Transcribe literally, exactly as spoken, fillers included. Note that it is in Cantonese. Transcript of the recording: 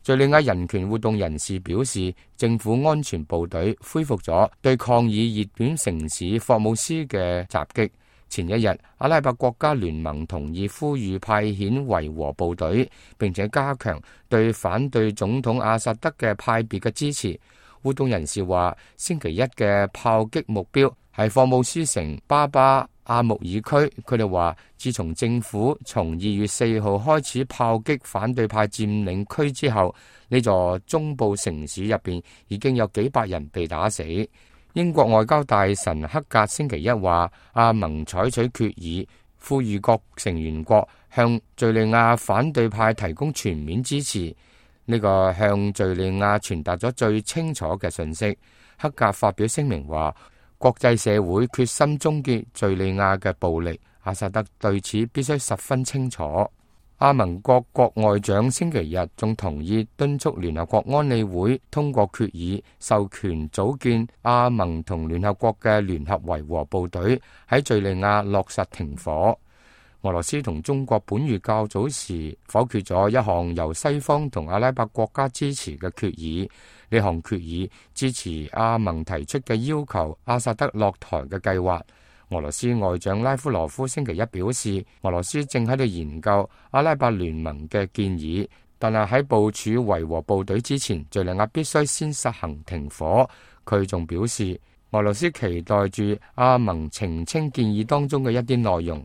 敘利亞人權活動人士表示，政府安全部隊恢復咗對抗議熱點城市霍姆斯嘅襲擊。前一日，阿拉伯國家聯盟同意呼籲派遣維和部隊，並且加強對反對總統阿薩德嘅派別嘅支持。活動人士話，星期一嘅炮擊目標係霍姆斯城巴巴阿穆爾區。佢哋話，自從政府從二月四號開始炮擊反對派佔領區之後，呢座中部城市入邊已經有幾百人被打死。英國外交大臣克格星期一話，阿盟採取決議，呼籲各成員國向敘利亞反對派提供全面支持。呢個向敘利亞傳達咗最清楚嘅信息。克格發表聲明話，國際社會決心終結敘利亞嘅暴力，阿薩德對此必須十分清楚。阿盟各國外長星期日仲同意敦促聯合國安理會通過決議，授權組建阿盟同聯合國嘅聯合維和部隊喺敘利亞落實停火。俄羅斯同中國本月較早時否決咗一項由西方同阿拉伯國家支持嘅決議，呢項決議支持阿盟提出嘅要求阿薩德落台嘅計劃。俄羅斯外長拉夫羅夫星期一表示，俄羅斯正喺度研究阿拉伯聯盟嘅建議，但係喺部署維和部隊之前，敘利亞必須先實行停火。佢仲表示，俄羅斯期待住阿盟澄清建議當中嘅一啲內容。